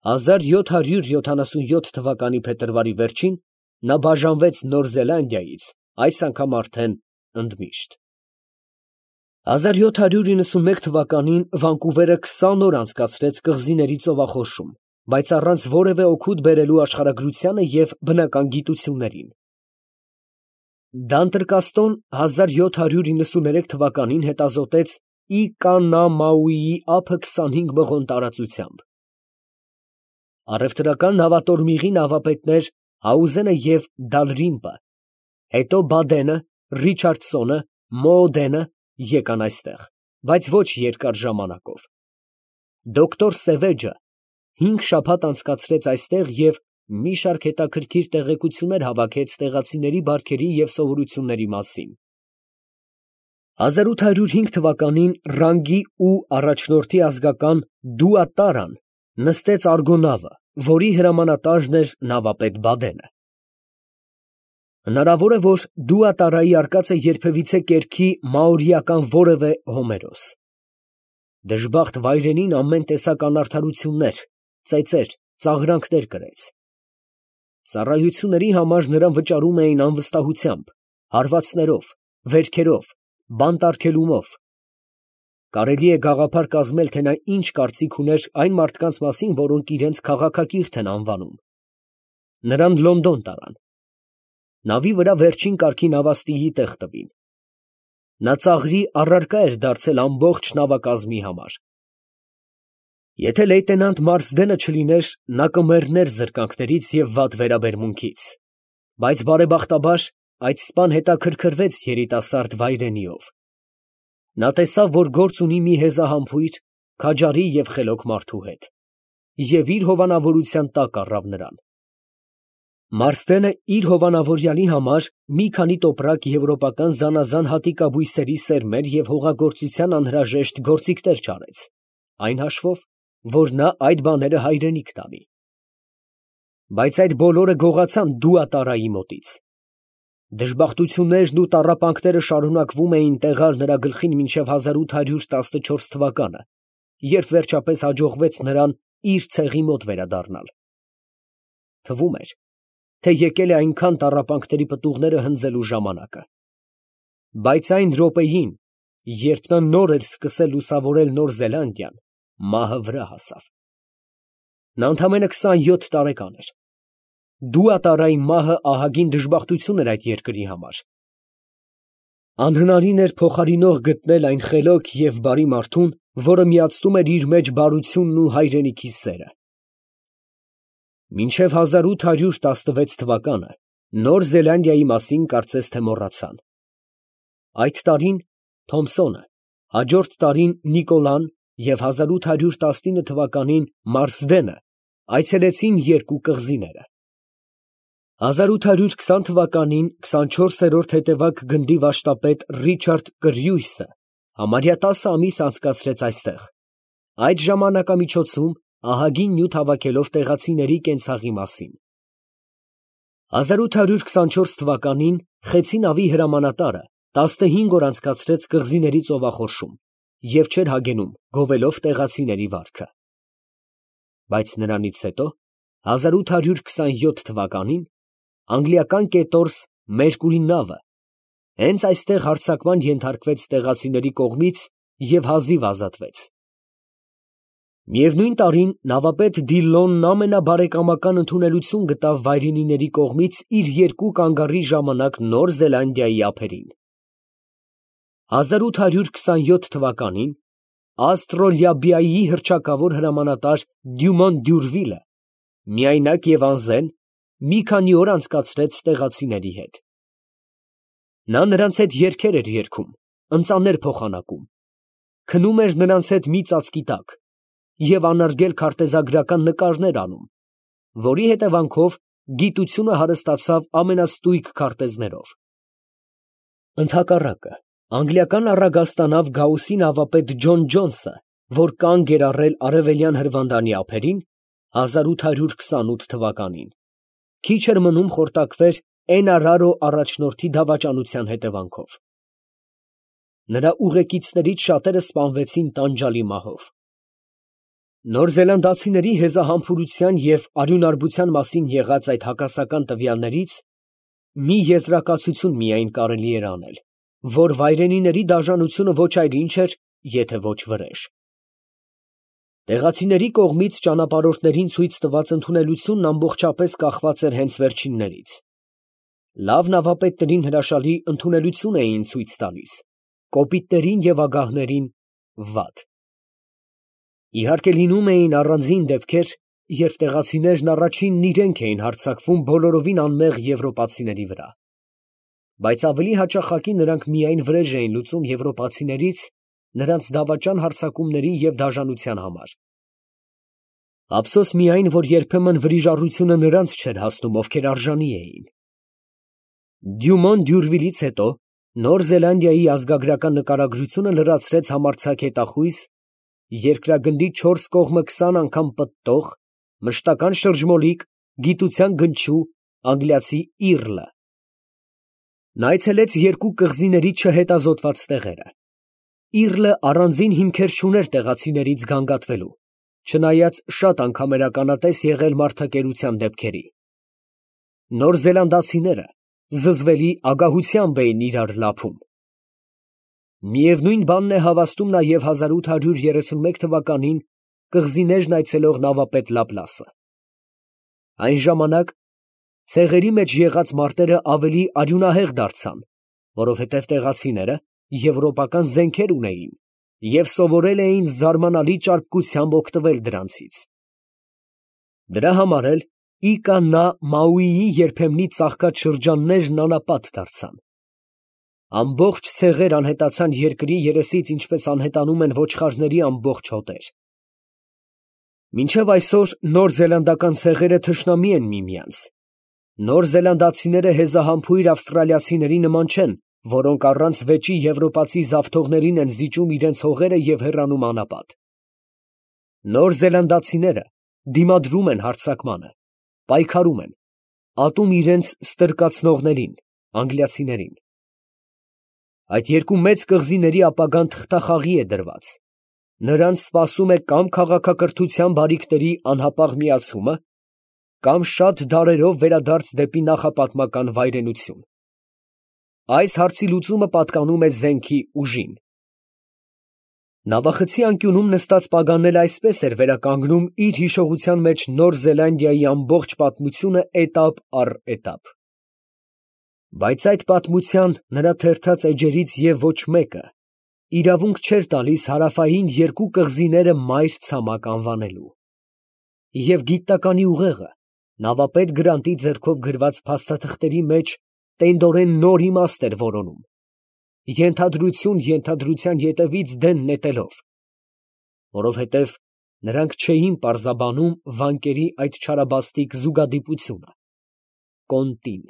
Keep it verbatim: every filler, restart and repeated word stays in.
հազար յոթ հարյուր յոթանասունյոթ թվականի փետրվարի վերջին նա բաժանվեց Նոր Զելանդիայից, այս անգամ արդեն ընդմիշտ։ հազար յոթ հարյուր իննսունմեկ թվականին Վանկուվերը քսան օր անցկացրեց կղզիների ծովախորշում, բայց առանց որևէ օգուտ բերելու աշխարհագրությանը և բնական գիտություններին։ Դանտրկաստոն հազար յոթ հարյուր իննսուներեք թվականին հետազոտեց Իկանամաուիի ափը քսանհինգ մղոն տարածությամբ։ Առևտրական նավատորմիղի նավապետներ Հաուզենը և Դալրիմպը, հետո Բադենը, Ռիչարդսոնը, Մոոդենը եկան այստեղ, բայց ոչ երկար ժամանակով։ Դոկտոր Սևեջը հինգ շաբաթ անցկացրեց այստեղ և մի շարք հետաքրքիր տեղեկություններ հավաքեց տեղացիների բարքերի և սովորությունների մասին։ հազար ութ հարյուր հինգ թվականին Ռանգի ու առաջնորդի ազգական Դուատարան նստեց արգոնավը, որի հրամանատարն էր նավապետ Բադենը։ Հնարավոր է, որ Դուատարայի արկածը երբևիցե կերքի մաորիական որևէ Հոմերոս։ Դժբախտ վայրենին ամեն տեսակ անարդարություններ, ծեծեր, ծաղրանքներ կրեց։ Ծառայությունների համար նրան վճարում էին անվստահությամբ, հարվածներով, վերքերով, բանտարկելումով։ Կարելի է գաղափար կազմել, թե նա ինչ կարծիք ուներ այն մարդկանց մասին, որոնք իրենց քաղաքակիրթ են անվանում։ Նրան Լոնդոն տարան։ Նավի վրա վերջին կարգի նավաստիի տեղ տվին։ Նա ծաղրի առարկա էր դարձել ամբողջ նավակազմի համար։ Եթե լեյտենանտ Մարսդենը չլիներ, նա կմեռներ զրկանքներից և վատ վերաբերմունքից, բայց բարեբախտաբար այդ սպան հետաքրքրվեց երիտասարդ վայրենիով։ Նա տեսավ, որ գործ ունի մի հեզահամբույր, քաջարի և խելոք մարդու հետ, և իր հովանավորության տակ առավ նրան։ Մարսդենը իր հովանավորյալի համար մի քանի տոպրակ եվրոպական զանազան հատիկաբույսերի սերմեր և հողագործության անհրաժեշտ գործիքներ չարեց, այն հաշվով, որ նա այդ բաները հայրենիք տանի։ Բայց այդ բոլորը գողացան Դուատարայի մոտից։ Դժբախտություններն ու տառապանքները շարունակվում էին տեղալ նրա գլխին մինչև հազար ութ հարյուր տասնչորս թվականը, երբ վերջապես հաջողվեց նրան իր ցեղի մոտ վերադառնալ։ Թվում էր, թե եկել է այնքան տառապանքների պտուղները հնձելու ժամանակը։ Բայց այն րոպեին, երբ նա նոր էր սկսել լուսավորել Նոր Զելանդիան, մահը վրա հասավ։ Նա ընդամենը քսանյոթ տարեկան էր։ Դուատարայի մահը ահագին դժբախտություն էր այդ երկրի համար։ Անհնարին էր փոխարինող գտնել այն խելոք և բարի մարդուն, որը միացնում էր իր մեջ բարությունն ու հայրենիքի սերը։ Մինչև հազար ութ հարյուր տասնվեց թվականը Նոր Զելանդիայի մասին կարծես թե մոռացան։ Այդ տարին Թոմսոնը, հաջորդ տարին Նիկոլան և հազար ութ հարյուր տասնինը թվականին Մարսդենը այցելեցին երկու կղզիները։ հազար ութ հարյուր քսան թվականին քսանչորսերորդ հետևակ գնդի վաշտապետ Ռիչարդ Կրյուիսը համարյա տասը ամիս անցկացրեց այստեղ, այդ ժամանակամիջոցում ահագին նյութ հավաքելով տեղացիների կենցաղի մասին։ հազար ութ հարյուր քսանչորս թվականին Խեցի նավի հրամանատարը տասնհինգ օր անցկացրեց կղզիների ծովախորշում և չէր հագենում, գովելով տեղացիների վարքը։ Բայց նրանից հետո, հազար ութ հարյուր քսանյոթ թվականին, անգլիական կետորս Մերկուրի նավը հենց այստեղ հարձակման ենթարկվեց տեղացիների կողմից և հազիվ ազատվեց։ Միևնույն տարին նավապետ Դիլլոնն ամենաբարեկամական ընդունելություն գտավ վայրենիների կողմից իր երկու կանգառի ժամանակ Նոր Զելանդիայի ափերին։ հազար ութ հարյուր քսանյոթ թվականին Աստրոլաբիայի հռչակավոր հրամանատար Դյումոն Դյուրվիլը միայնակ և անզեն մի քանի օր անցկացրեց տեղացիների հետ։ Նա նրանց հետ երգեր էր երգում, ընծաներ փոխանակում, քնում էր նրանց հետ մի ծածկի տակ և անարգել քարտեզագրական նկարներ անում, որի հետևանքով գիտությունը հարստացավ ամենաստույգ քարտեզներով։ Ընդհակառակը, անգլիական առագաստանավ Գաուսի նավապետ Ջոն Ջոնսը, որ կանգ էր առել արևելյան հրվանդանի ափերին, հազար ութ հարյուր քսանութ թվականին, քիչ էր մնում խորտակվեր Էնարարո առաջնորդի դավաճանության հետևանքով։ Նրա ուղեկիցներից շատերը սպանվեցին տանջալի մահով։ Նոր զելանդացիների հեզահամբուրության և արյունարբության մասին եղած այդ հակասական տվյալներից մի եզրակացություն միայն կարելի էր անել, որ վայրենիների դաժանությունը ոչ այլ ինչ էր, եթե ոչ վրեժ։ Տեղացիների կողմից ճանապարհորդներին ցույց տված ընդունելությունն ամբողջապես կախված էր հենց վերջիններից։ Լավ նավապետներին հրաշալի ընդունելություն էին ցույց տալիս, կոպիտներին և ագահներին՝ վատ։ Իհարկե լինում էին առանձին դեպքեր, երբ տեղացիներն առաջինն իրենք էին հարձակվում բոլորովին անմեղ եվրոպացիների վրա, բայց ավելի հաճախակի նրանք միայն վրեժ էին լուծում եվրոպացիներից նրանց դավաճան հարձակումների և դաժանության համար։ Ափսոս միայն, որ երբեմն վրիժառությունը նրանց չէր հասնում, ովքեր արժանի էին։ Դյումոն Դյուրվիլից հետո Նոր Զելանդիայի ազգագրական նկարագրությունը լրացրեց համարձակ հետախույզ, երկրագնդի չորս կողմը քսան անգամ պտտող, մշտական շրջմոլիկ, գիտության գնչու անգլիացի իռլը։ Նա այցելեց երկու կղզիների չհետազոտված տեղերը։ Իռլը առանձին հիմքեր չուներ տեղացիներից գանգատվելու, չնայած շատ անգամ էր ականատես եղել մարդակերության դեպքերի։ Նոր զելանդացիները զզվելի ագահությամբ էին իրար լափում։ Միևնույն բանն է հավաստում նաև հազար ութ հարյուր երեսունմեկ թվականին կղզիներն այցելող նավապետ Լապլասը։ Այն ժամանակ ցեղերի մեջ եղած մարտերը ավելի արյունահեղ դարձան, որովհետև տեղացիները եվրոպական զենքեր ունեին և սովորել էին զարմանալի ճարպկությամբ օգտվել դրանցից։ Դրա համար էլ Իկա նա Մաուիի երբեմնի ծաղկած շրջաններն անապատ դարձան։ Ամբողջ ցեղեր անհետացան երկրի երեսից, ինչպես անհետանում են ոչխարների ամբողջ հոտեր։ Մինչև այսօր նոր զելանդական ցեղերը թշնամի են միմյանց։ Նոր զելանդացիները հեզահամբույր ավստրալիացիների նման չեն, որոնք առանց վեճի եվրոպացի զավթողներին են զիջում իրենց հողերը և հեռանում անապատ։ Նոր զելանդացիները դիմադրում են հարձակմանը, պայքարում են, ատում իրենց ստրկացնողներին՝ անգլիացիներին։ Այդ երկու մեծ կղզիների ապագան թղթախաղի է դրված. նրանց սպասում է կամ քաղաքակրթության բարիքների անհապաղ միացումը, կամ շատ դարերով վերադարձ դեպի նախապատմական վայրենություն։ Այս հարցի լուծումը պատկանում է զենքի ուժին։ Նավախցի անկյունում նստած Պագանն էլ այսպես էր վերականգնում իր հիշողության մեջ Նոր Զելանդիայի ամբողջ պատմությունը էտապ առ էտապ։ Բայց այդ պատմության նրա թերթած էջերից և ոչ մեկը իրավունք չէր տալիս հարավային երկու կղզիները մայր ցամաք անվանելու։ Եվ գիտականի ուղեղը նավապետ Գրանտի ձեռքով գրված փաստաթղթերի մեջ տենդորեն նոր իմաստ էր որոնում, ենթադրություն ենթադրության ետևից դեն նետելով, որովհետև նրանք չէին պարզաբանում վանկերի այդ չարաբաստիկ զուգադիպությունը, կոնտին։